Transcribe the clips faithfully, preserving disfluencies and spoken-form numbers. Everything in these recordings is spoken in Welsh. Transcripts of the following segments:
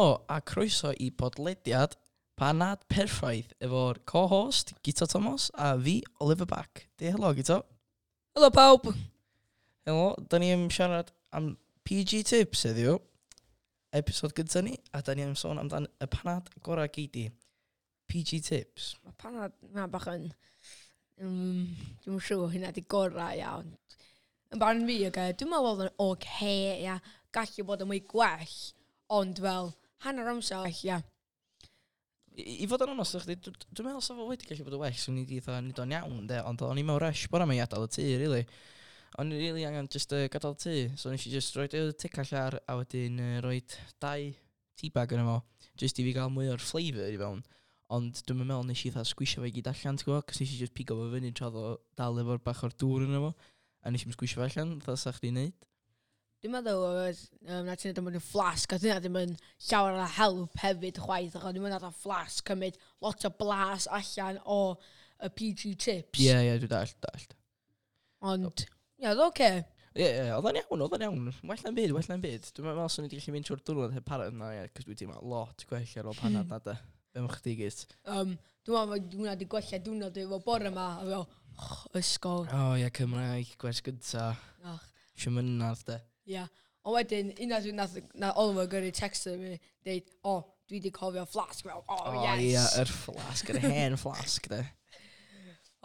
Helo a croeso i podlediad Panad Perffaith efo'r co-host Guto Thomas a fi, Oliver Back. Di helo, Guto. Helo pawb! Helo, da ni am siarad am P G Tips heddiw. Episod gyda ni, a da ni am sôn amdan y panad gorau gei di. P G Tips. Mae panad na bach yn... Um, dwi'n siŵr hynna di gorau iawn. Yn barn fi, okay, dwi'n meddwl oedd yn oce, ia. Gallu bod yn mwy gwell, ond fel hanner amser, ia. I, i fod yn onest, chdi, dw- dwi'n meddwl sa fo wedi gallu bod yn well, swn i wedi fatha neud o'n iawn, de, ond o'n i mewn rush bore yma i adael y tŷ, really. O'n i really angen just uh, gadael y tŷ, so nes i just roid y tecall ar, a wedyn uh, roid dau teabag yn efo, just i fi gael mwy o'r flavour i fewn. Ond dwi'n meddwl nes i fatha sgwisio fe i gyd allan, ti'n gwybod, cos nes i just pigo fo fyny tra oedd o dal efo'r bach o'r dŵr yn efo, a nes i'm sgwisio fe allan, fatha sa chdi'n neud. Dwi'n meddwl oedd um, na ti'n neud yn flask, a dyna ddim yn llawer o help hefyd chwaith, achos dwi'n meddwl nath flask cymryd lot o blas allan o y P G Tips. Ie, ie, dwi'n dallt, dallt. Ond, ie, oedd oce. Ie, ie, oedd o'n iawn, oedd o'n iawn. Well na'n byd, well na'n byd. Dwi'n meddwl swn i wedi gallu mynd trwy'r diwrnod heb panad na, ie, cos dwi'n teimlo lot gwell ar ôl panad na, de. Be am chdi gyd? Um, dwi'n meddwl bod hwnna wedi gwella diwrnod efo bore yma, a fel, oh, ysgol. O, oh, ie, Cymraeg, gwers gynta. Ach, Siamynadd, de. Ia. Ond wedyn, unwaith dwi'n nath, na Oliver gyrru text i fi, deud, "O, oh, dwi wedi cofio flask." Fel, "Oh, O, yes." ie, yr flask, yr hen flask, de.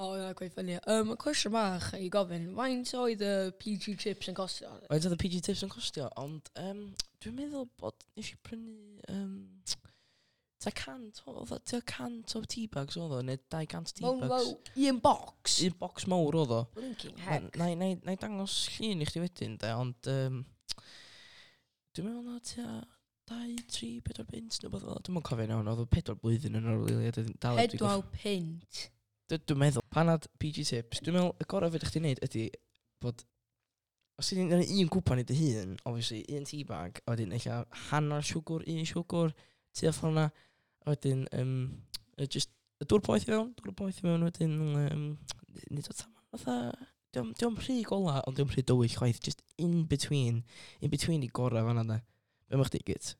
O, oh, yna quite funny. Um, cwestiwn bach i gofyn, faint oedd y P G Chips yn costio? Faint oedd y P G Tips yn costio, ond um, dwi'n meddwl bod nes i prynu um, ta cant o, oedd o- tua cant o teabags oedd o, neu dau gant Mewn teabags. fel un box? Un box mawr oedd o. Blinking Na, heck. na, na, na i dangos llun i chdi wedyn, de, ond um, dwi'n meddwl na tua dau, tri, pedwar punt, neu beth fel 'na. Dwi'm yn cofio iawn, oedd o pedwar blwyddyn yn ôl, really, a dwi dal heb 'di Pedwar punt. Dwi- Dwi'n meddwl, panad P G Tips, dwi'n meddwl y gorau fedrwch chdi wneud ydy bod, os ti'n gwneud un cwpan i dy hun, obviously, un teabag, a wedyn ella hanner siwgr, un siwgr, tua ffordd 'na, a wedyn, um, just, y dŵr poeth i fewn, dŵr poeth i fewn, wedyn, um, nid o tam, fatha, diom, diom rhy gola, ond diom rhy dywyll chwaith, just in between, in between i gorau fan'na, de. Be am chdi gyd?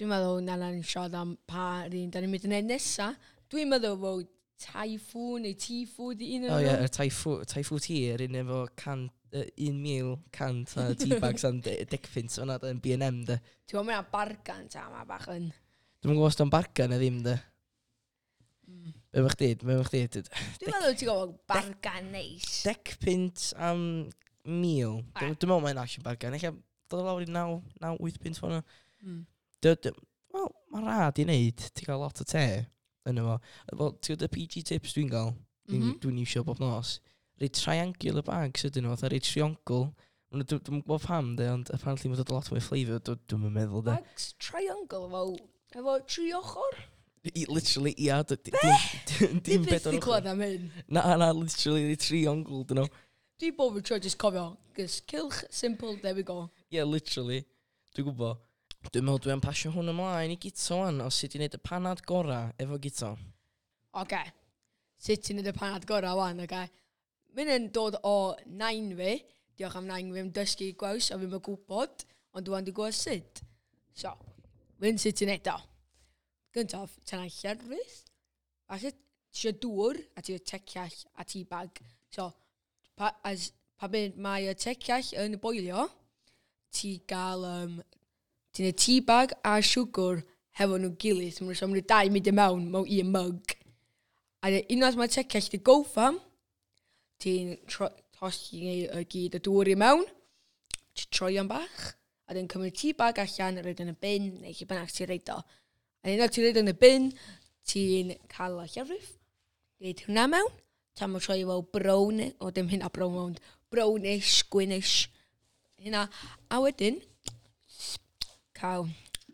Dwi'n meddwl na na'n siarad am pa un da ni'n mynd i wneud nesa. Dwi'n meddwl bod Typhoon neu T-Food i un O ie, nhw. y Typhoo, Typhoo Tea, yr un efo can, uh, un mil cant a teabags am de, dec punt fan'na, de, yn B and M, de. Ti'n gwybod, mae'n bargan ta, ma bach yn... Dwi'm yn gwybod os 'dio'n bargan neu ddim, de. Mm. Be am chdi, be am chdi? Dwi'n meddwl ti'n gwybod bargan neis. Dec punt am mil. Ah. Dwi'n meddwl mae'n actually bargan. Ella dod o lawr i naw, naw, wyth punt fan'na. Mm. Dy- dy- Wel, mae rhad i wneud. Ti'n cael lot o te yn efo. Wel, ti'n gwybod y P G Tips dwi'n gael? Dwi'n mm Mhm. -hmm. iwsio bob nos. Rei triangular bags ydyn nhw, fatha rei triongl. Ma' nhw- Dwi'm yn gwybod pam, de, ond apparently mae'n dod lot mwy flavour, dwi'm yn meddwl, de. Bags triangle efo, efo tri ochr? I, literally, ia, d- d- dim Dim dim byth bedwar di ochr. clywed am hyn. Na, na, literally, rei triongl, dyn nhw. Dwi bob yn tro just cofio. Just cylch, simple, there we go. Yeah, literally. Dwi'n gwybod. Dwi'n meddwl dwi'n pasio hwn ymlaen i Guto wan, o sut i wneud y panad gora efo Guto. Oce. Sut ti'n neud y panad gorau wan, oce? Mae'n yn dod o nain fi. Diolch am nain fi am dysgu gwaws a fi'n gwybod, ond dwi'n di gwybod sut. So, fy'n sut ti'n neud o. Gyntaf, ti'n llefrith. A sut ti isio dŵr, a ti isio tecell a tea bag. So, pa, as, pa byd mae y tecell yn boilio, ti gael, um, ti'n neud tea bag a siwgr hefo nhw gilydd. So, maen nhw dau mynd i mewn mewn un mug. A wedyn unwaith mae tecell di goffa, ti'n tro- tosti y gyd y dŵr i mewn, ti'n troi o'n bach, a wedyn cymryd tea bag allan, a roid yn y bin, neu lle bynnag ti'n roid o. A unwaith ti'n roid yn y bin, ti'n cael y llefrith, roid hwnna mewn, tan mae'n troi fel brown, o dim hynna brown, ond brownish, gwynish, hynna. A wedyn, cael...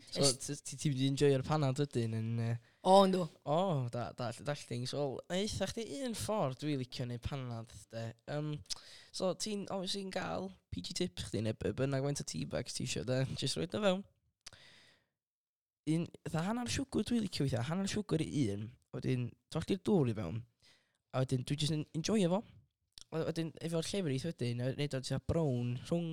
So, ti ti wedi enjoyo'r panad ydyn yn... Uh, O, yndw. o, da, da, dall things. Wel, eitha chdi un ffordd dwi licio neud panad, de. Um, so, ti'n, obviously, yn gael P G Tips chdi, neu be bynnag faint o tea bags ti isio, de. Just roid o fewn. Un, fatha hanner siwgr dwi licio weithia, hanner siwgr i un. Wedyn, tollti'r dŵr i fewn. A wedyn, dwi jyst yn enjoyo fo. A wedyn, efo'r llefrith wedyn, a neud o tua brown, rhwng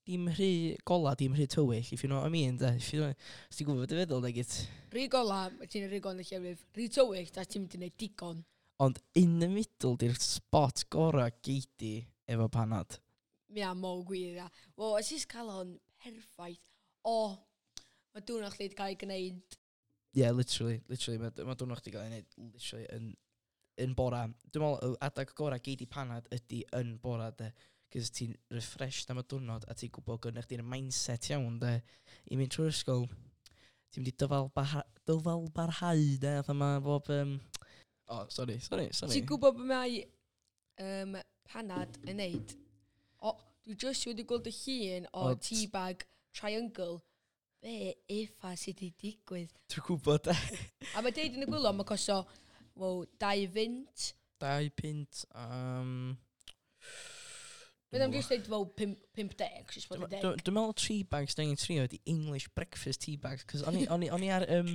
Dim rhy gola, dim rhy tywyll, if you know what I mean, de. If you know, os ti'n gwybod beth dwi'n feddwl, de, gyd. Rhy gola, ti'n rhy gola yn y llefrith. Rhy tywyll, da ti'n mynd i wneud digon. Ond in the middle, di'r spot gora geidi efo panad. Mi a mor gwir, ia. Wel, os ti'n cael hon perffaith. O, mae diwrnod chdi wedi cael ei gwneud. Yeah, literally, literally, mae ma diwrnod chdi gael ei wneud literally yn, yn bora. Dwi'n meddwl, y adag gora geidi panad ydy yn bora, de. Cos ti'n refreshed am y diwrnod a ti'n gwybod gynna chdi'r mindset iawn, de. I mynd trwy'r ysgol, ti'n mynd i dyfal, barha, dyfal barhau, de. Fatha ma bob... Um... Oh, sorry, sorry, sorry. Ti'n gwybod beth mae um, panad yn neud? O, dwi just wedi gweld y llun o O, tea bag triangle. Be effa sydd wedi digwydd? Dwi'n gwybod, de. A mae deud yn y gwaelod, mae costo, wel, dau fynt. Dau punt, um... Bydd am just deud fel pum- pump deg, jyst bod yn deg. Dwi'n meddwl tea bags dwi'n trio ydi English breakfast tea bags, cos o'n i, o'n i, o'n i ar, um,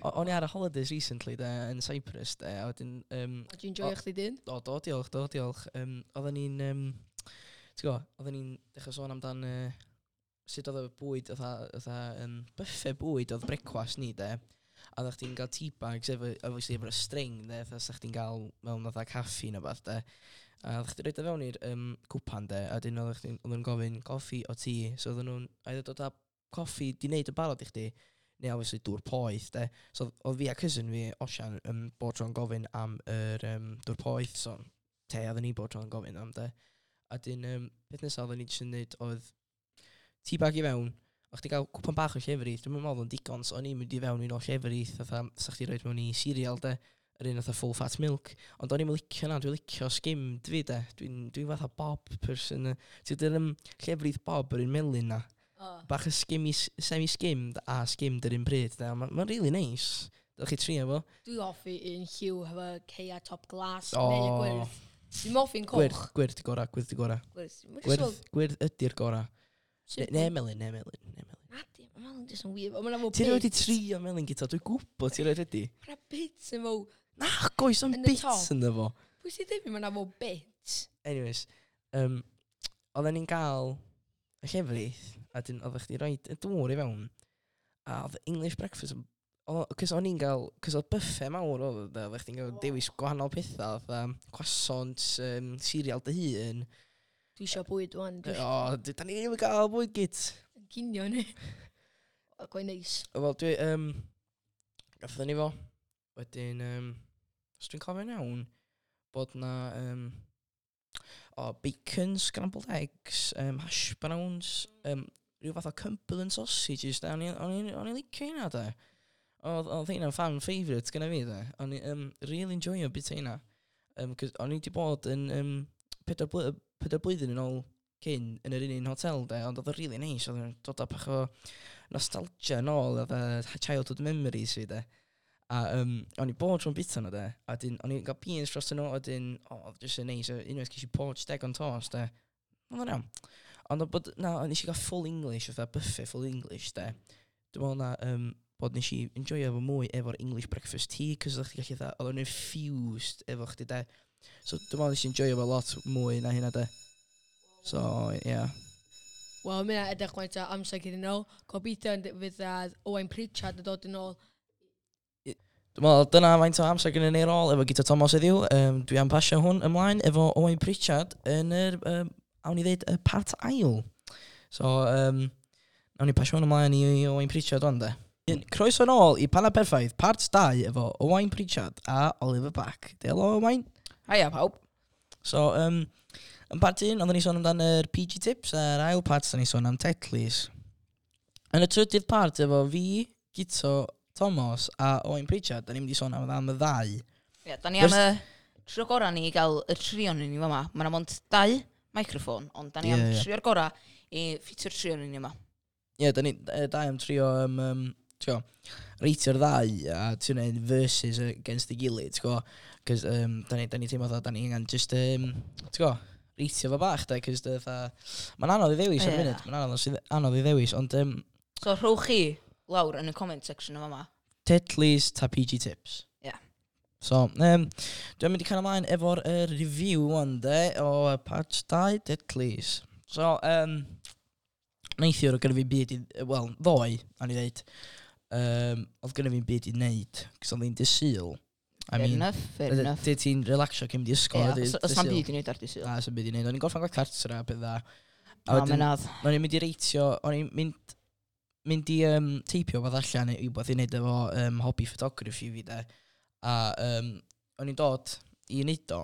o'n i ar y holidays recently, de, yn Cyprus, de, a wedyn, um, O, ti'n joio chdi dyn? o, do, diolch, do, diolch. Um, oedden ni'n, um, ti'n gwybod, oedden ni'n dechrau sôn amdan uh, sut oedd y bwyd, oedd um, buffet bwyd oedd brecwast ni, de. A oeddech chdi'n cael tea bags efo, obviously, efo'r string, de, fatha sa chdi'n cael mewn fatha caffi neu beth, de. A oeddech chdi'n rhoid o fewn i'r um, cwpan, de, a wedyn oeddech chdi'n oedden nhw'n gofyn coffi o tŷ, so oedden nhw'n either dod â coffi di wneud yn barod i chdi, neu obviously dŵr poeth, de. So oedd fi a cousin fi, Osian, um, bod tro'n gofyn am yr um, dŵr poeth, so te oedden ni bod tro'n gofyn am, de. A dyn, um, peth nesaf oedden ni jyst yn neud oedd tea bag i fewn, o'ch chdi gael cwpan bach o llefrith, dwi'n meddwl oedd o'n digon, so o'n i'n mynd i fewn i nôl llefrith, fatha, sa chdi roed mewn i cereal, de, yr un fatha full fat milk, ond o'n i'n licio na, dwi'n licio skimmed fi, de, dwi'n dwi fatha bob person, ti'n dweud um, llefrith bob yr un melyn na, O. bach o skimmy, semi-skimmed a skimmed yr un pryd, de, mae'n ma really nice, dylech chi trio fo. Dwi hoffi un lliw hefo ceia top glas O. neu gwyrdd. Dwi'n hoffi'n coch. Gwyrdd, gwyrdd di gora, gwyrdd di gora. Gwyrdd. Mae'n jyst Gwyrdd, fel gwyrdd ydy'r gora. Ne, simple. ne melyn, ne melyn, ne melyn. Na di, mae melyn jyst yn weird. Mae'n efo Ti rioed wedi bits. trio melyn gyda, dwi'n gwybod ti rioed wedi. Mae'n bits yn fo... Na, goes am Yn y bits top. ynddo fo. Pwy sy'n dweud mae'n efo bits? Anyways, um, oedden ni'n gael y llefrith, a dyn oeddech chdi roed y dŵr i fewn, a oedd English breakfast, yn- oedd- cos o'n i'n gael, cos oedd buffet mawr oedd, o, de, oeddech chdi'n gael dewis gwahanol pethau, fatha croissants, um, cereal dy hun. Dwi eisiau bwyd wan. Dwi O, d- da ni ddim yn gael bwyd gyd. eisiau cinio ni. O, Quite nice. Wel, dwi, um, gathon ni fo, wedyn, um, os dwi'n cofio'n iawn, bod na, um, o, bacon, scrambled eggs, um, hash browns, um, rhyw fath o Cumberland sausages, da, o'n i- o'n i- o'n i'n licio hynna, da. Oedd oedd hynna'n fan favourite gyda fi, da. O'n i um, really enjoyo bit hynna. Um, cos o'n i wedi bod yn um, pedwar, bly pedwar blwyddyn yn ôl cyn yn yr un un hotel, de, ond oedd o'n really nice, oedd o'n dod â bach o nostalgia yn ôl, oedd y childhood memories fi, de. A um, o'n i bod tro'n bita nhw, de. A dyn, o'n i'n cael beans dros nhw, a dyn, o, oedd jyst yn neis, unwaith ges i poached egg on toast, de. Oedd o'n iawn. Ond oedd bod, na, nes i gael full English, fatha buffet full English, de. Dwi'n meddwl na, um, bod nes i enjoyo fo mwy efo'r English breakfast tea, cos oedd chdi gallu fatha, oedd o'n infused efo chdi, de. So dwi'n meddwl nes i enjoyo fo lot mwy na hynna, de. So, yeah. Wel, mae'n edrych faint o amser gyda nhw. Gobeithio yn fydd yy, Owain Pritchard yn dod yn ôl. Dwi'n meddwl dyna faint o amser gynnu ni ar ôl efo Guto Thomas heddiw. Um, dwi am pasio hwn ymlaen efo Owain Pritchard yn yr, um, awn ni ddeud, y part ail. So, um, awn ni pasio hwn ymlaen i Owain Pritchard wan de. Un- Croeso nôl i Panad Perffaith, part dau efo Owain Pritchard a Oliver Back. Helo Owain. Haia pawb. So, um, yn part un, oedden ni sôn amdan yr P G Tips, a'r ail part, oedden ni sôn am Tetleys. Yn y trydydd part, efo fi, Guto, Thomas a Owain Pritchard, da ni'n mynd i sôn am, am y ddau. Ie, da ni am y trio gorau ni i gael y trio ni yma. Mae yna mond dau microffon, ond da ni am Ie, ie. trio'r gorau i ffitio'r trio ni yma. Ie, yeah, da ni yy, dau am trio, um, um, t'go, reitio'r ddau a ti'n gwneud versus against ei gilydd, ti'n gwbo. Cos um, da ni, da ni teimlo fatha, da ni angen just, um, ti'n gwbo, reitio fo bach, da, cos mae'n anodd i ddewis ar y Ie. funud, mae'n anodd, sydd- anodd i ddewis, ond um, So rhowch chi lawr yn y comment section yma yma. Tetleys ta P G Tips. Ie. So, um, dwi'n mynd i cael ymlaen efo'r uh, review wan de o uh, part dau Tetleys. So, um, Neithiwr oedd gynna fi'n byd i... Wel, ddoe, o'n i ddeud, um, oedd gynna fi'n byd i wneud, cos oedd hi'n dydd Sul. I Fair mean, enough, fair enough. Dy ti'n relaxio cyn mynd i ysgol. Ie, ar dydd- os os dydd na'm Sul. byd i wneud ar dydd Sul. Na, s'am byd i wneud. O'n i'n gorffan gwaith cartra a bydda. A Na, wedyn, mynadd. o'n i'n mynd i reitio, o'n i'n mynd, mynd i um, teipio fath allan i wbeth i wneud efo um, hobby photography fi de. A um, o'n i'n dod i wneud o,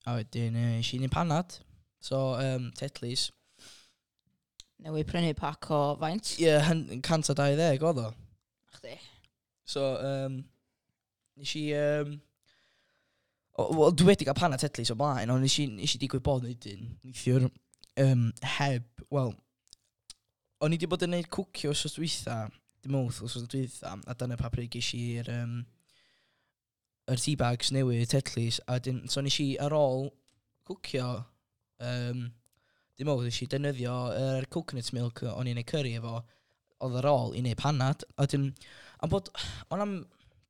a wedyn uh, nes i wneud panad. So, um, Tetleys. Newydd prynu pac o faint. Ie, yeah, cant a dau ddeg oedd o. Chdi. So, um, nes i... Um, o, wel, dwi wedi cael panad Tetleys o blaen, ond nes i, nes i digwydd bod yn un neithiwr um, heb, wel, o'n i wedi bod yn neud cwcio wsos dwytha, dim wrth wsos dwytha, a dyna pa pryd ges i'r um, yr tea bags newydd, Tetleys, a wedyn, so nes i ar ôl cwcio, um, dim wrth, nes i defnyddio yr coconut milk o'n i'n neud curry efo, oedd ar ôl i neud panad, a wedyn, am bod, o'n am,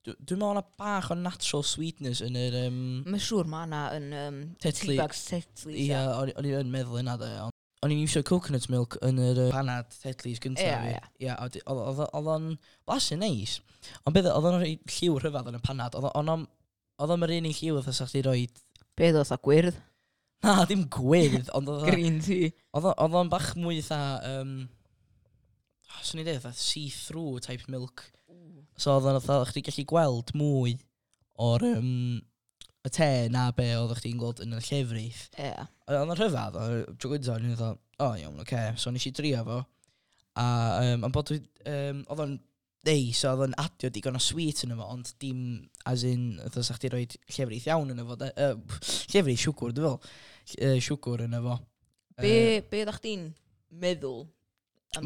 dwi'n meddwl o'na bach o natural sweetness yn yr, um, Mae'n siŵr ma' na yn um, Tetley. tea bags Tetleys. Ie, o'n o'n i yn meddwl yna de, ond o'n i'n iwsio coconut milk yn yr uh, panad Tetleys gyntaf Ie, fi. ie. Ie, a wedi- oedd oedd- oedd o'n blasu neis. Ond beth, oedd o'n rhoi lliw rhyfedd yn y panad. Oedd o'n oedd o'n yr un un lliw oedd chdi roed... Be oedd o, gwyrdd? Na, dim gwyrdd, ond oedd o- Green tea. oedd o- oedd o'n bach mwy fatha... Um, oh, swn i'n dweud, fatha see-through type milk. So oedd o'n fatha, chdi gallu gweld mwy o'r um, y te na be oedd chdi'n gweld yn y llefrith. Ie. Oedd o'n rhyfedd, oedd tro gyntaf, o'n i'n fatha, o iawn, oce. So nes i drio fo. A um, am bod dwi, um, oedd o'n neis, oedd o'n adio digon o sweet yn efo, ond dim as in, oedd sa chdi roed llefrith iawn yn efo, de, uh, llefrith siwgwr, dwi'n fel, uh, siwgwr yn efo. Be, be oeddach chdi'n meddwl?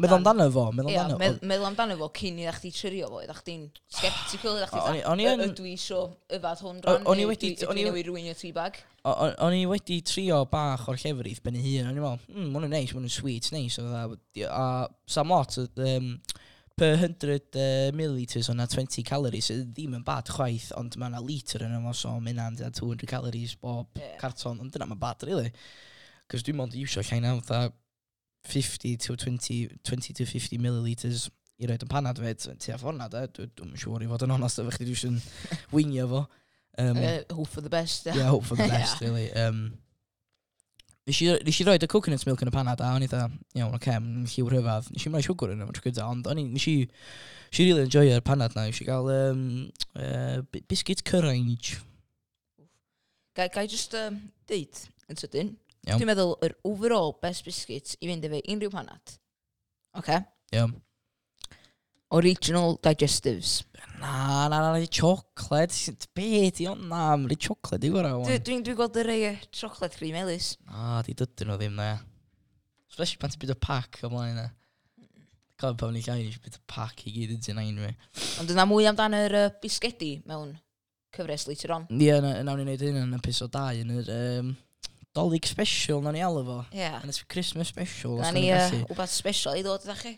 Meddwl amdano fo, meddwl Ie, amdano. medd- meddwl amdano fo cyn i chdi trio fo, oeddach chdi'n sceptical, oeddach O'n chdi i- o'n i yn- ydw i isio yfad hwn O- rhan, o'n i neu wedi- ydw o'n i i- newydd ruinio tea bag? O- o- O'n i wedi trio bach o'r llefrith ben ei hun, o'n i'n meddwl, hmm, ma' hwn yn neis, ma' hwn yn sweet, neis. Oedd a, a sam lot, um, per hundred uh, millilitres o'na twenty calories, sydd ddim yn bad chwaith, ond mae yna litr yn efo, so mae hynna'n tua two hundred calories bob Ie. carton, ond dyna mae'n bad, really. Cos dwi'n mond iwsio llai na, fatha fifty to twenty, twenty to fifty millilitres i roed yn panad fed, tua ffordd na, de, dwi- dwi'n siŵr i fod yn onest efo chdi, dwi eisiau wingio fo. Um, Uh, hope for the best. Yeah, hope for the best, really. Um, nes i, nes i roed y coconut milk yn y panad a o'n i dda, iawn, oce, okay, mae'n lliw rhyfedd. Nes i'm rhoi siwgr yn efo tro gyda, ond o'n i, nes i, nes i really enjoyo'r panad na. Nes i gael um, uh, biscuit currange. Ga, ga i just um, deud yn sydyn. Iawn. Dwi'n meddwl yr overall best biscuit i fynd efo unrhyw panad. Oce. Iawn. Original digestives. Na, na, na, na, chocolate. Be di hwnna? Na, mae'n chocolate i gorau. Dwi'n dwi, dwi gweld y rei yy, chocolate cream melys. Na, di dydyn nhw ddim na. Especially pan ti'n byd o pack o blaen na. Cofio pan o'n i llai, nes i byd o pack i gyd yn ti'n ein fi. Ond yna mwy amdan yr uh, bisgedi mewn cyfres later on. Ie, na, nawn ni wneud hyn yn episode dau yn yr um, Dolig special, nawn ni alw fo. Ie. Yn y Christmas special, os Na da ni ni'n uh, gallu. wbath special i ddod ydych chi.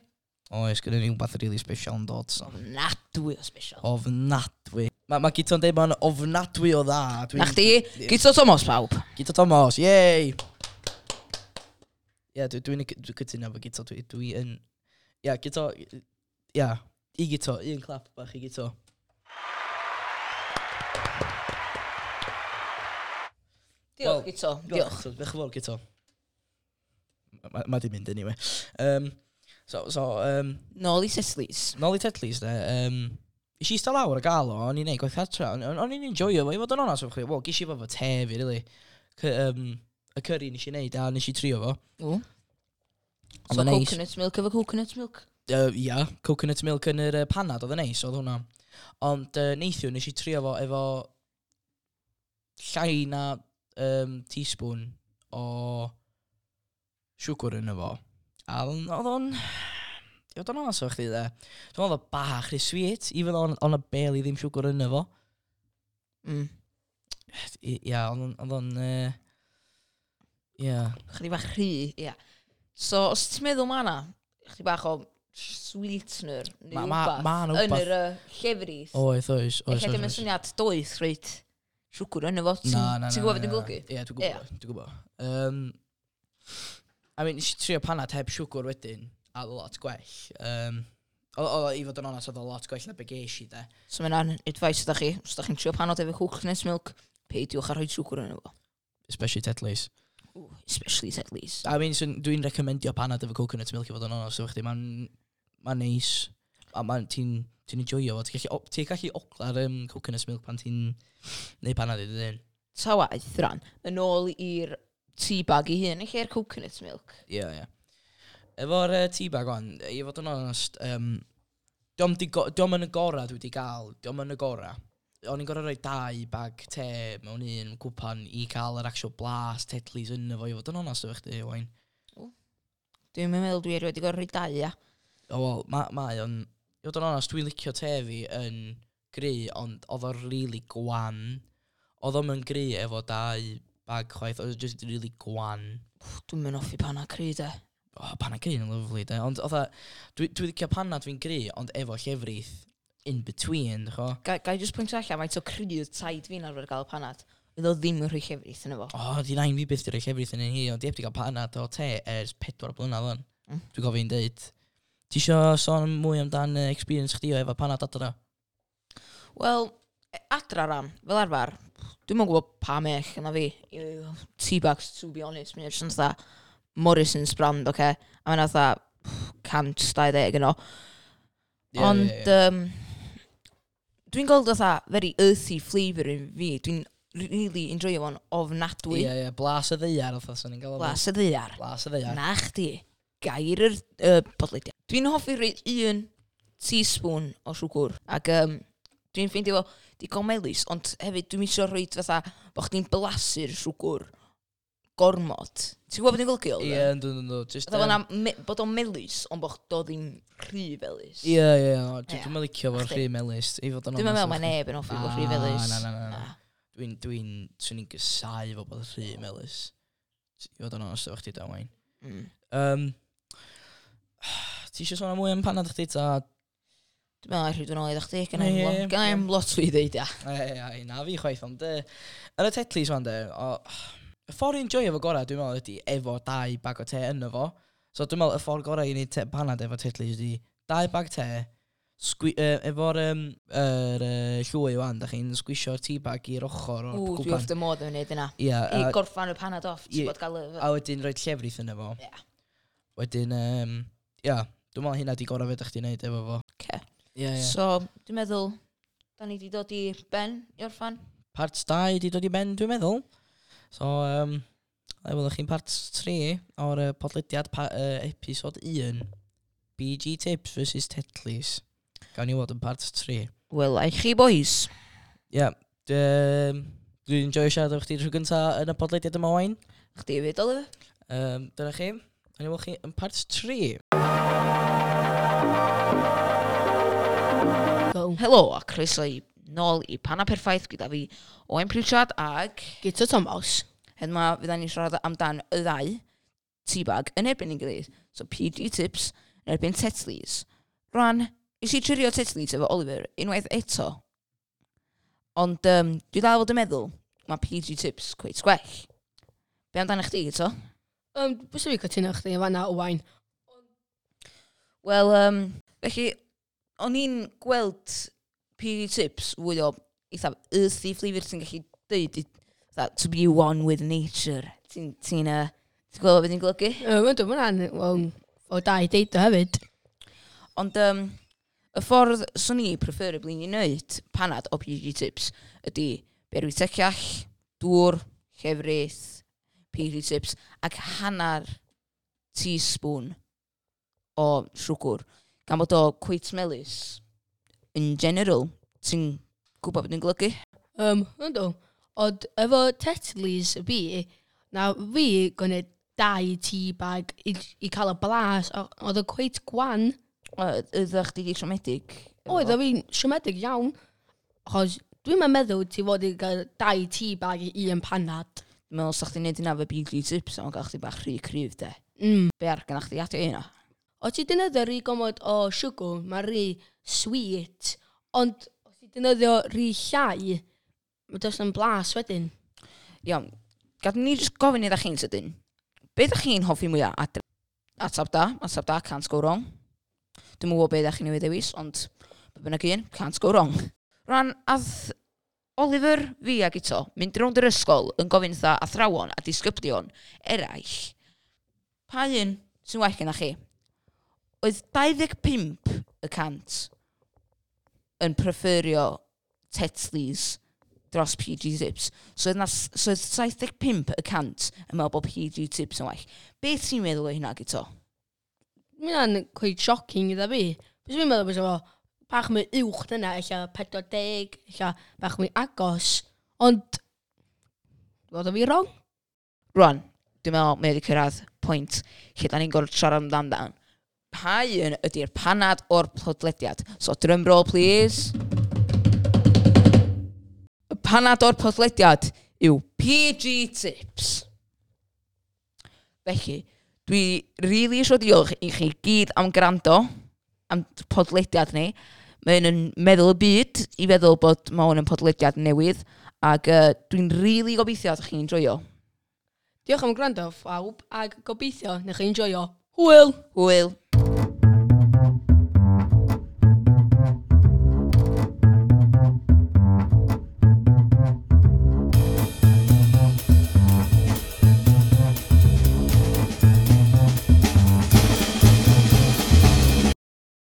Oes, gyda ni wbath really special yn dod. So. Ofnadwy o special. Ofnadwy. Mae ma Guto'n deud mae'n ofnadwy o dda. Dwi'n- Na chdi, Guto Thomas pawb. Guto Thomas, yay! Ie, dwi, dwi'n dwi cytuno efo Guto. Dwi, dwi yn... Ie, Guto... Ie, i Guto, un clap bach i Guto. Diolch, Wel, Guto. Diolch. Guto, diolch yn fawr, Guto. Mae ma di mynd anyway. Um, so, so, um, Nôl i Tetleys. nôl i Tetleys, de, um, nes i eistedd lawr a gael o, o'n i'n neud gwaith cartra, o'n o'n i'n enjoyo fo, i fod yn onast efo chdi, wel, ges i fo fo te fi, really. C um, y curry nes i neud, a nes i trio fo. Ww. Oedd So o'n neis. coconut milk efo coconut milk. Uh, ia, coconut milk yn yr uh, panad, oedd yn neis, oedd hwnna. Ond uh, neithiwr nes i trio fo efo llai na um, teaspoon o siwgr yn efo. A oedd o'n- oedd o'n... I fod yn onest efo chdi, de. Dwi'n meddwl oedd o bach rhy sweet, even though o'n y barely ddim siwgr yn efo. Mm. I- Ia, oedd o'n- oedd o'n... yy, Ia. Chydig bach rhy, ia. So, os ti'n meddwl ma' na, chydig bach o sweetener neu Ma- ma- wbath ma' 'na yn wbath. yr uh, llefrith. Oes, oes, oes. Ella oes, dim yn oes. syniad doeth reit siwgr yn efo. Ti'n Na, na, na. ti'n gwybod beth na, dwi'n golygu? Ie, dwi'n gwybod, dwi'n gwybod. Um, I mean, nes i trio panad heb siwgr wedyn, A oedd o lot gwell. Um, oedd o, i fod yn onest, oedd o lot gwell na be ges i, de. So mae hwnna'n advice ydych chi. Os ydych chi'n trio panod efo coconut milk, peidiwch â rhoi siwgr yn efo. Especially Tetley's. Ooh, especially Tetley's. I mean, so, dwi'n recomendio panad efo coconut milk i fod yn onest, efo chdi. Mae'n ma neis. A ma'n, ti'n ti'n enjoyo fo. Ti'n gallu, o- ti'n gallu ogla'r um, coconut milk pan ti'n neud panad i dy hun. Ta waeth, ran, yn ôl i'r tea bag i hun, yn lle'r coconut milk. Ie, ie. Efo'r uh, tea bag wan, i fod yn onest, um, dio'm di go- dio'm yn y gora dwi wedi gael, dio'm yn y gora. O'n i'n gorau rhoi dau bag te mewn un cwpan i cael yr actual blas Tetley's yn efo, i fod yn onest efo chdi, Owain. Dwi'n meddwl dwi erioed wedi gorau rhoi dau, ia. O, wel, ma, mae o'n... I fod yn onest, dwi'n licio te fi yn gry, ond oedd o'n really gwan. Oedd o'm yn gry efo dau bag chwaith, oedd o just really gwan. Dwi'n mynd hoffi panad cry, de. O, panad gry yn lyfli, de. Ond oedd dwi, dwi licio panad fi'n gry, ond efo llefrith in between, dych o. Ga, ga i just pwyntio allan, faint o cry oedd taid fi'n arfer gael panad. Oedd o ddim yn rhoi llefrith yn efo. O, di nain fi byth di rhoi llefrith yn un hi, ond di heb di gael panad o te ers pedwar blynedd o'n. Mm. Dwi'n gofyn deud. Ti isio sôn mwy amdan uh, experience chdi o efo panad adra? Wel, e- adra ram, fel arfer, dwi'm yn gwybod pa mech yna fi. Tea bags, to be honest, mae'n jyst yn fatha Morrison's brand, oce? Okay? A mae'n fatha cant dau ddeg yno. Ie, Ond, ie, ie. um, dwi'n gweld fatha very earthy flavour yn fi. Dwi'n really enjoyo fo'n ofnadwy. Ie, ie, blas y ddaear, oedd o'n i'n gael o. Blas y ddaear. Blas y ddaear. Na chdi. Gair yr uh, podlediad. Dwi'n hoffi rhoi un teaspoon o siwgr. Ac um, dwi'n ffeindio fo digon melys, ond hefyd dwi'n isio rhoi fatha bo chdi'n blasu'r siwgr gormod. Ti'n gwybod beth dwi'n golygu? Ie, yndw, yndw, yndw. Just, Fatha yym, um, me, bod o'n melys, ond bod o ddim rhy felys. Ie, ie, ie. Ie. Dwi'n licio fo'r Chdi? rhy melys. I fod yn Dwi'n meddwl onest mae efo chdi. neb yn hoffi bod rhy Na, felys. Na, na, na, na. Dwi'n, dwi'n, swn i'n gysau fo bod rhy melys. I fod yn onest efo chdi, da, Wayne. Mm. Um, ti eisiau sôn am mwy am panad chdi, ta? Dwi'n meddwl rhaid yn ôl i chdi, gynna Ie, i'm ie, lo- gynna i'm lot fwy i ddeud, ia. Ei, ei, na fi chwaith, ond yy, yn y Tetleys wan de, o, y ffordd i'n joio fo gorau, dwi'n meddwl, ydy efo dau bag o te yno fo. So dwi'n meddwl y ffordd gorau i wneud te, panad efo Tetleys ydy dau bag te, sgwi, uh, efo'r um, er, uh, llwy wan, da chi'n sgwisio'r tea bag i'r ochr o'r Ww, dwi cwpan. wrth y modd yn wneud yna. Ie, I a, gorffan y panad off, Ie. ti'n bod gael y... a wedyn rhoi llefrith yno fo. Ie. Wedyn, um, ia, dwi'n meddwl hynna di gorau fe da chdi wneud efo fo. Oce. Ie, ie. So, dwi'n meddwl, da ni di dod i ben i orffan. Part dau di dod i ben, dwi'n meddwl. So, um, a welwch chi'n part tri o'r uh, podlediad pa, uh, episod un. B G Tips versus Tetleys. Gawn ni weld yn part tri. Wel, ai chi boys. Ie, yeah, dwi'n enjoyo siarad efo chdi tro gynta yn y podlediad yma, Owain. Chdi hefyd, Oliver. Um, dyna chi. Gawn ni weld chi yn part tri. Go. Helo, a croeso i nôl i Panad Perffaith gyda fi Owain Pritchard ag Guto Thomas. Hyn ma fydda ni'n siarad amdan y ddau teabag yn erbyn ein gilydd. So P G Tips yn erbyn Tetleys. Rwan, nes i trio Tetleys efo Oliver unwaith eto. Ond um, dwi dal fod yn meddwl, mae P G Tips cweit gwell. Be amdano chdi, eto? Um, Bys fi cytuno chdi yn fanna, Owain. Wel, um, felly, o'n i'n gweld P G Tips fwy o eitha earthy flavour ti'n gallu deud, i- fatha, to be one with nature. Ti'n ti uh, ti'n gweld beth ti'n golygu? Um, Ydw, mae'n well, o da i deud o hefyd. Ond um, y ffordd swn i preferably i wneud panad o P G Tips ydy berwi teciall, dŵr, llefrith, P G Tips ac hanner teaspoon o siwgr. Gan bod o cweit melys in general, ti'n gwybod beth dwi'n golygu? Um, ydw. Ond efo Tetleys fi, na fi gwneud dau tea bag i, i cael y blas, o- oedd o cweit gwan. Ydych chdi di siomedig? Oedd o fi'n siomedig iawn, achos dwi'n meddwl ti fod i gael dau tea bag i un panad. Dwi'n meddwl sa chdi'n neud hynna efo B G Tips, ond gael chdi bach rhy cryf de. Mm. Be ar gynnach chdi adio hynna? O ti defnyddio rhy gomod o siwgr, mae rhy sweet, ond os ti defnyddio rhy llai, mae does yn blas wedyn. Iawn, gad ni jyst gofyn iddo chi'n sydyn. Be ydych chi'n hoffi mwyaf adre? Atab da, atab da, can't go wrong. Dwi'n gwybod beth ydych chi'n ei ddewis, ond be bynnag un, can't go wrong. Rwan, ath Oliver, fi ag Ito, mynd rownd yr ysgol yn gofyn wrtha athrawon a disgyblion eraill, pa un sy'n well gennych chi? Oedd dau ddeg pump y cant yn preferio Tetleys dros P G Tips. So oedd, na, so oedd saith deg pump y cant yn meddwl bod P G Tips yn well. Beth ti'n meddwl o hynna, Gito? Mae hynna'n quite shocking idda fi. Bys fi'n meddwl bod fo bach mwy uwch dyna, ella pedwar deg, ella bach mwy agos. Ond, fod o fi wrong? Rwan, dwi'n meddwl mae wedi cyrraedd pwynt lle da ni'n gorfod siarad amdan dan. Pa un ydy'r panad o'r podlediad? So, drum roll, please. Y panad o'r podlediad yw P G Tips. Felly, dwi really eisiau diolch i chi gyd am gwrando am podlediad ni. Mae'n yn meddwl y byd i feddwl bod mae hwn yn podlediad newydd ac uh, dwi'n really gobeithio ydych chi'n joio. Diolch am gwrando, phawb, ac gobeithio newch chi enjoio. Hwyl! Hwyl!